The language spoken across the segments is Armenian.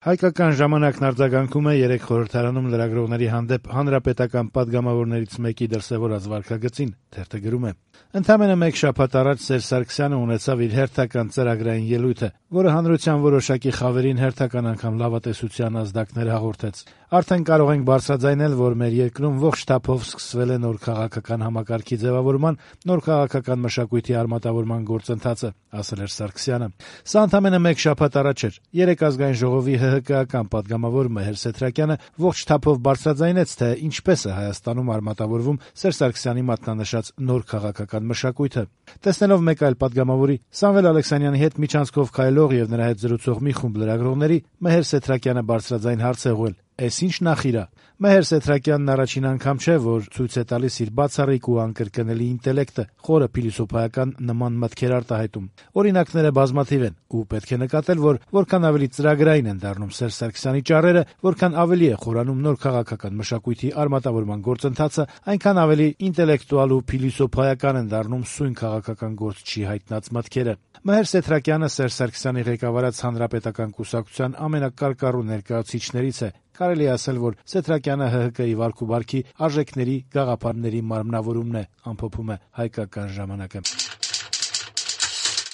Հայկական ժամանակն արձագանքում է 3 խորհրդարանում լրագրողների հանդեպ հանրապետական պատգամավորներից մեկի դրսևորած վարքագծին, թերթը գրում է. Ընդամենը մեկ շաբաթ առաջ Սերժ Սարգսյանը ունեցավ իր հերթական ծրագրային ելույթը, որը հանրության որոշակի խավերին հերթական անգամ լավատեսության ազդակներ հաղորդեց. Արդեն կարող ենք բարձրաձայնել, որ մեր երկրում ողջ թափով սկսվել է նոր քաղաքական համակարգի ձևավորման, նոր քաղաքական մշակույթի արմատավորման գործընթացը, ասել էր Սարգսյանը։ Սա ընդամենը մեկ շաբաթ առաջ էր։ 3 ազգային ժողովի ՀՀԿ-ական պատգամավոր Մեհեր Սեթրակյանը ողջ թափով բարձրաձայնեց, թե ինչպես է Հայաստանում արմատավորվում Սերժ Սարգսյանի մատնանշած նոր քաղաքական մշակույթը։ Տեսնելով մեկ այլ պատգամավորի՝ Սամվել Ալեքսանյանի հետ միջանցքով քայլող եւ նրա հետ զրուցող մի խումբ լրագրողների, Մեհեր Սեթրակյանը բարձրաձայն հարց է ուղղել. «Էս ինչ նախիր է»։ Մեհեր Սեթրակյանն առաջին անգամ չէ, որ ցույց է տալիս իր բացառիկ ու անկրկնելի ինտելեկտը, խորը փիլիսոփայական նման մտքեր արտահայտում։ Օրինակները բազմաթիվ են, ու պետք է նկատել, որ որքան ավելի ծրագրային են դառնում Սերժ Սարգսյանի ճառերը, որքան ավելի է խորանում նոր քաղաքական մշակույթի արմատավորման գործընթացը, այնքան ավելի ինտելեկտուալ ու փիլիսոփայական են դառնում սույն քաղաքական գործչի հայտնած մտքերը։ Մեհեր Սեթրակյանը Սերժ Սարգսյանի ղեկավարած հանրապետական կուսակցության ամենակարկառու ներկայացուցիչներից է։ Կարելի է ասել, որ Սեթրակյանը ՀՀԿ-ի վարք ու բարքի արժեքների, գաղափարների մարմնավորումն է, ամփոփում է Հայկական ժամանակը։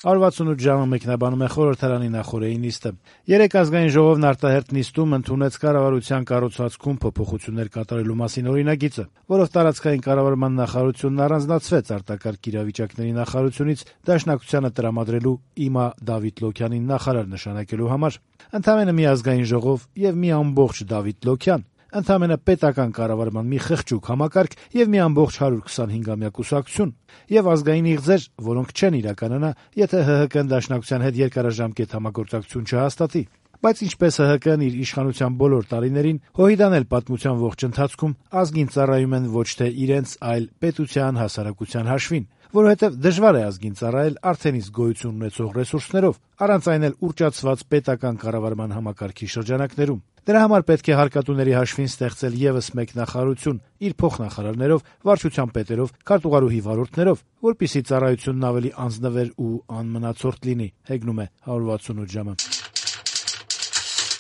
168 ժամը մեկնաբանում է խորհրդարանի նախօրեի նիստը։ 3 ազգային ժողովն արտահերթ նիստում ընդունեց կառավարության կառուցվածքում փոփոխություններ կատարելու մասին օրինագիծը, որով տարածքային կառավարման նախարարությունն առանձնացվեց արտակարգ իրավիճակների նախարարությունից Դաշնակցությանը տրամադրելու ԻՄԱ Դավիթ Լոքյանին նախարար նշանակելու համար։ Ընդամենը մի ազգային ժողով եւ մի ամբողջ Դավիթ Լոքյան, ընդամենը պետական կառավարման մի խղճուկ համակարգ եւ մի ամբողջ 125-ամյա կուսակցություն եւ ազգային իղձեր, որոնք չեն իրականանա, եթե ՀՀԿ-ն Դաշնակցության հետ երկարաժամկետ համագործակցություն չհաստատի։ Բայց ինչպես ՀՀԿ-ն իր իշխանության բոլոր տարիներին, ՀՅԴ-ն էլ պատմության ողջ ընթացքում ազգին ծառայում են ոչ թե իրենց, այլ պետության, հասարակության հաշվին, որովհետև դժվար է ազգին ծառայել արդեն իսկ գոյություն ունեցող ռեսուրսներով, առանց այն էլ ուռճացված պետական կառավարման համակարգի շրջանակներում։ Դրա համար պետք է հարկատուների հաշվին ստեղծել եւս մեկ նախարարություն իր փոխնախարարներով, վարչության պետերով, քարտուղարուհի վարորդներով, որպիսի ծառայությունն ավելի անձնվեր ու անմնացորդ լինի, հեգնում է 168 ժամը։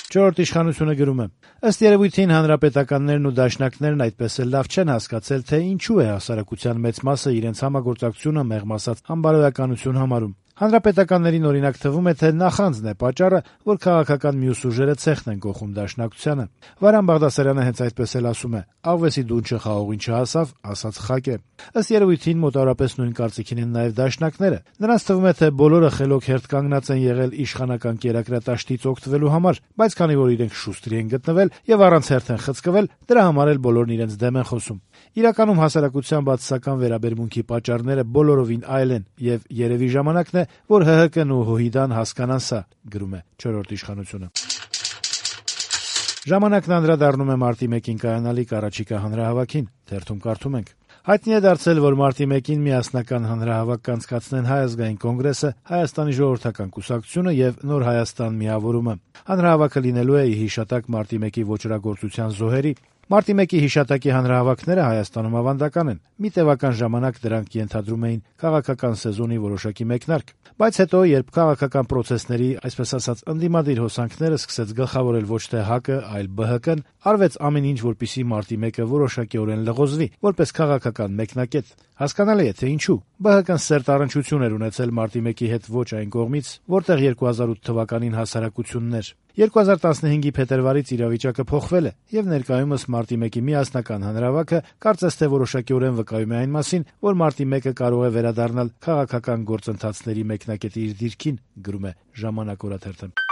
Չորրորդ իշխանությունը գրում է. ըստ երևույթին հանրապետականներն ու դաշնակներն այդպես էլ լավ չեն հասկացել, թե ինչու է հասարակության մեծ մասը իրենց համագործակցությունը մեղմ ասած անբարոյականություն համարում։ Հանրապետականներին օրինակ թվում է, թե նախանձն է պատճառը, որ քաղաքական մյուս ուժերը ցեխն են կողում Դաշնակցությանը։ Վարան Բաղդասարյանը հենց այդպես էլ ասում է. «Աղվեսի դունչը խաղողին չհասավ, ասած խակ է»։ Ըստ երևույթին մոտավորապես նույն կարծիքին են նաև դաշնակները։ Նրանց թվում է, թե բոլորը խելոք հերթ կանգնած են եղել իշխանական կերակրատաշտից օգտվելու համար, բայց քանի որ իրենք շուստրի են գտնվել եւ առանց հերթ են խցկվել, դրա համար էլ բոլորն իրենց դեմ են խոսում։ Իրականում հասարակության բացասական վերաբերմունքի պատճառները բոլորովին այլ են եւ երևի ժամանակն է, որ ՀՀԿ-ն ու ՀՅԴ-ն հասկանան սա, գրում է չորրորդ իշխանությունը։ Ժամանակն անդրադառնում է մարտի 1-ին կայանալիք առաջիկա հանրահավաքին, թերթում կարդում ենք. Հայտնի է դարձել, որ մարտի 1-ին միասնական հանրահավաք կանցկացնեն Հայ ազգային կոնգրեսը, Հայաստանի ժողովրդական կուսակցությունը եւ Նոր Հայաստան միավորումը։ Հանրահավաքը լինելու է ի հիշատակ մարտի 1-ի ոճրագործության զոհերի։ Մարտի 1-ի հիշատակի հանրահավաքները Հայաստանում ավանդական են։ Մի տևական ժամանակ դրանք ենթադրում էին քաղաքական սեզոնի որոշակի մեկնարկ, բայց հետո, երբ քաղաքական պրոցեսների, այսպես ասած, ընդդիմադիր հոսանքները սկսեց գլխավորել ոչ թե ՀԱԿ-ը, այլ ԲՀԿ-ն, արվեց ամեն ինչ, որպեսզի մարտի 1-ը որոշակիորեն լղոզվի, որպես քաղաքական մեկնակետ։ Հասկանալի է, թե ինչու։ ԲՀԿ-ն սերտ առնչություն էր ունեցել մարտի 1-ի հետ ոչ այն կողմից, որտեղ 2008 թվականին հասարակությունն էր։ 2015-ի փետրվարից իրավիճակը փոխվել է, եւ ներկայումս մարտի 1-ի միասնական հանրահավաքը կարծես թե որոշակիորեն վկայում է այն մասին, որ մարտի 1-ը կարող է վերադառնալ քաղաքական գործընթացների մեկնակետի իր դիրքին, գրում է Ժամանակ օրաթերթը։